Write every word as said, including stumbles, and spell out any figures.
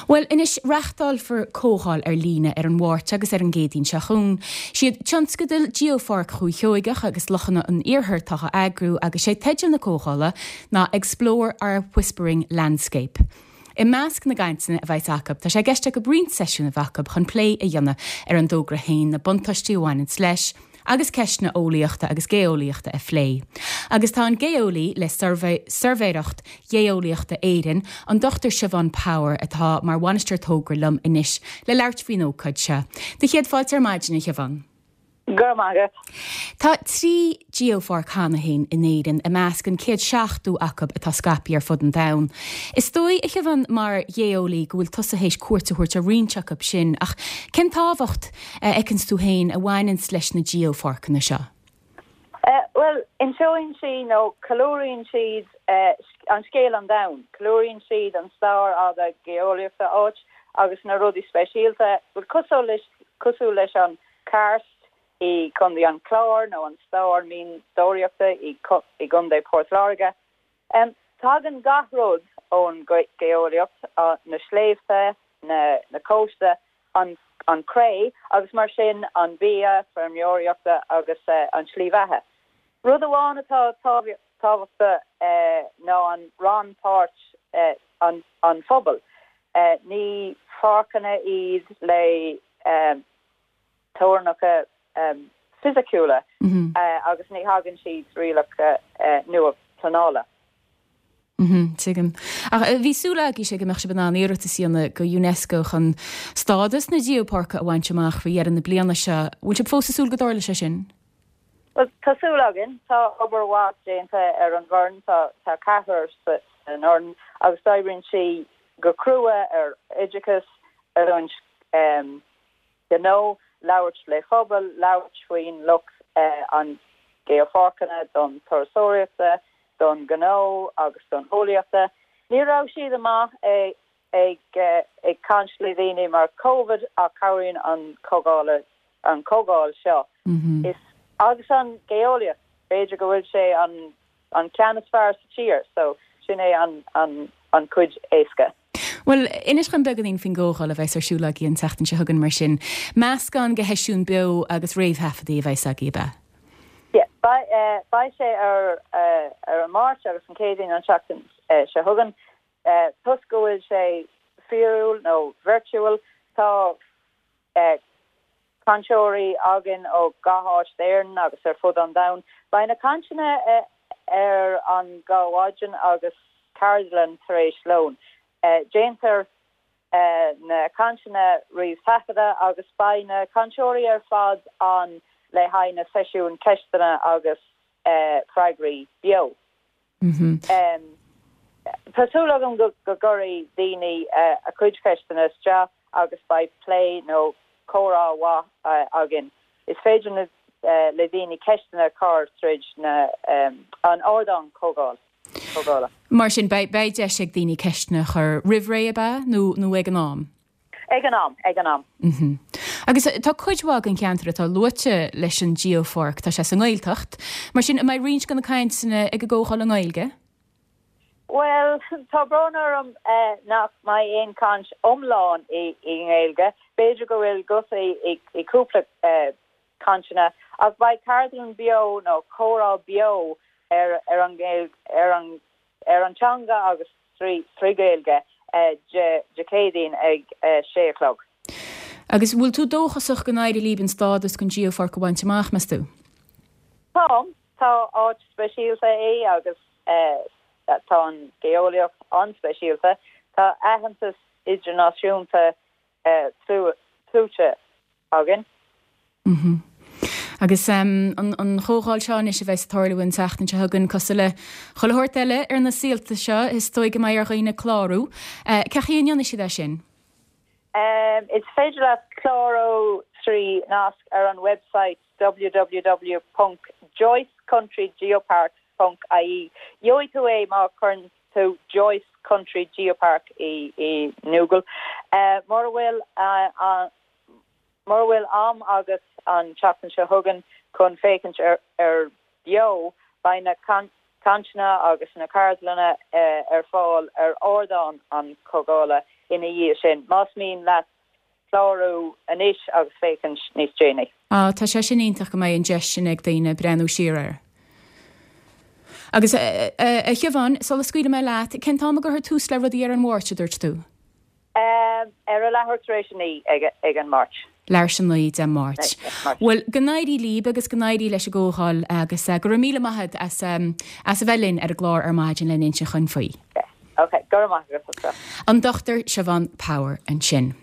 Bhuel, anois reáchtálfar comhdháil ar líne ar an Mháirt agus ar an gCéadaoin seo chugainn. Siad tionscadal Geopháirc Dhúiche Sheoigeach agus Lochanna an Iarthair atá á eagrú agus sé teideal na comhdhála ná Explore Our Whispering Landscape. I measc na gcainteanna a bheas acu, tá sé i gceist acu roinnt seisiún a bheith acu chun plé a dhéanamh ar an dtogra féin na buntáistí a bhaineann leis, agus ceisteanna eolaíochta agus geolaíochta a phlé. Agus tá an geolaí le Suirbhéireacht Gheolaíochta Éireann, an Dr Siobhán Power atá mar bhainisteoir togra liom anois le labhairt faoin ócáid seo. Do chéad fáilte ar maidin a Shiobhán. Go maith. Tá trí geopháirc cheana féin in Éirinn i measc an céad seachtó acu atá scaipthe ar fud an domhain. Is dóigh a Shiobhán mar gheolaí go bhfuil tusa théis cuairt a thabhairt ar roinnt acu sin ach cén tábhacht a fheiceann tú féin a bhaineann leis na geopháirceanna seo. Uh, well inseoidh siad nó ceiliúrann siad uh, an scéal an domhain, ceiliúrann siad an stair fhada geolaíochta áit agus na rudaí speisialta, bhuel cosúil leis an karst i gContae an Chláir nó an stair mianadóireachta i i gContae Port Láirge. Um, tagann gach rud ón geolaíocht uh, na sléibhte na, na cósta an, an cré agus mar sin an bia feirmeoireachta agus uh, an slí bheatha. Rud amháin atá tábhachtach uh, ná an rannpháirt uh, an, an phobal. Uh, ní pháirceanna iad le um, teorainneacha um, fisiciúla mm -hmm. uh, agus ní thagann siad rialacha uh, nua pleanála. Tuigim. Ach bhí súil agaibh sé go mbeadh sibh in ann iarratas a dhéanamh go UNESCO chun stádas na geopháirce a bhaint amach faoi dheireadh na bliana seo, bhfuil sibh fós ag súil go dtarlóidh sé sin? Well tá súil againn tá obair mhaith déanta ar an bhfoireann tá tá ceathrar san fhoireann agus oibríonn sí go crua ar oideachas ar an um, gnó labhairt le pobal labhairt faoin lucht uh, an geopháirceanna don turasóireachta don gnó agus don eolaíochta. Ní raibh siad amach ag ag ag caint le daoine mar COVID a cabhraíonn an comhdháil an comhdháil seo. Mm -hmm. Is agus an geolaíocht b'fhéidir go bhfuil sé an an ceann is fearr sa tír, so sin é an an an cuid éasca. Well, inis dom beagáinín faoin gcomhdháil a bheas ar siúl agaibh an tseachtain seo chugainn mar sin. Meascán de sheisiúin beo agus réamhthaifeadtaí a bheas agaibh ab ea. Yeah, beidh sé ar uh, ar an Máirt agus an Chéadaoin an tseachtain uh, seo chugainn uh, toisc go bhfuil sé fíorúil nó virtual tá uh, cainteoirí againn ó gach áit d'Éirinn agus ar fud an domhain. Beidh na cainteanna uh, ar an dhá mhaidin agus ceardlann tar éis lón. Uh, Déantar uh, na cainteanna réamhthaifeadta agus beidh na cainteoirí ar fad ann le haghaidh na seisiún ceisteanna agus uh, freagraí beo. Mm -hmm. um, Tá súil agam go go gcuirfidh daoine uh, a cuid ceisteanna isteach agus beidh plé nó comhrá mhaith uh, againn. Is féidir na, uh, le daoine ceisteanna chur tríd na um, an ardán comhdháil. Comhdhála. Mar sin beidh deis ag daoine ceisteanna a chur roimh ré ab ea nó nó ag an am. Ag an am ag an am. Mm -hmm. Agus tá cuid mhaith den cheantar atá luaite leis an geopháirc tá sé sa nGaeltacht, mar sin an mbeidh roinnt de na cainteanna ag an gcomhdháil i nGaeilge? Well tá brón orm uh, nach mbeidh aon chaint iomlán i i nGaeilge, B'fhéidir go bhfuil gutaí i, i cúpla uh, cainteanna ach beidh ceardlann beo nó comhrá beo ar ar an ar an ar an teanga agus trí trí Ghaeilge uh, Dé Céadaoin ag uh, sé chlog. Agus bhfuil tú dóchasach go n-éireoidh libh an stádas don geopháirc a bhaint amach meas tú? Tá tá áit speisialta é agus uh, tá an geolaíocht an-speisialta tá aitheantas idirnáisiúnta uh, tuillte againn. Mm -hmm. Agus um, an, an chomhdháil seo anois a bheas ag tarlú an tseachtain seo chugainn cosúil le chuile shórt eile ar na saolta seo is dóigh go mbeidh ar dhaoine clárú. Uh, Cén chaoi a ndéanfaidh siad é sin? Um, is féidir leat clárú trí nasc ar an website www.joycecountrygeopark.ie. Gheobhaidh tú é má chuireann tú Joyce Country Geopark i, i Google. Uh, Mura bhfuil uh, uh, mura bhfuil am agat an tseachtain seo chugainn chun féachaint ar, ar beo beidh na cainteanna agus na ceardlanna uh, ar fáil ar ardán an chomhdhála ina dhiaidh sin. Más mian leat clárú anois agus féachaint níos déanaí. Ah, tá sé sin iontach go mbeidh an deis sin ag daoine breathnú siar air. Agus a Shiobhán, sula scaoilfidh mé leat, cén t-am a gcuirfear tús le rudaí ar an Mháirt a dúirt tú? Um, ar a leathuair tar éis a naoi ag, ag an Máirt. Leathuair tar éis a naoi Dé Máirt. Well go n-éirí libh agus go n-éirí leis an gcomhdháil agus uh, go raibh míle maith agat as, um, as a bheith linn ar an gclár ar maidin le insint dúinn faoi. Okay, go maith An Dr Siobhán Power ansin.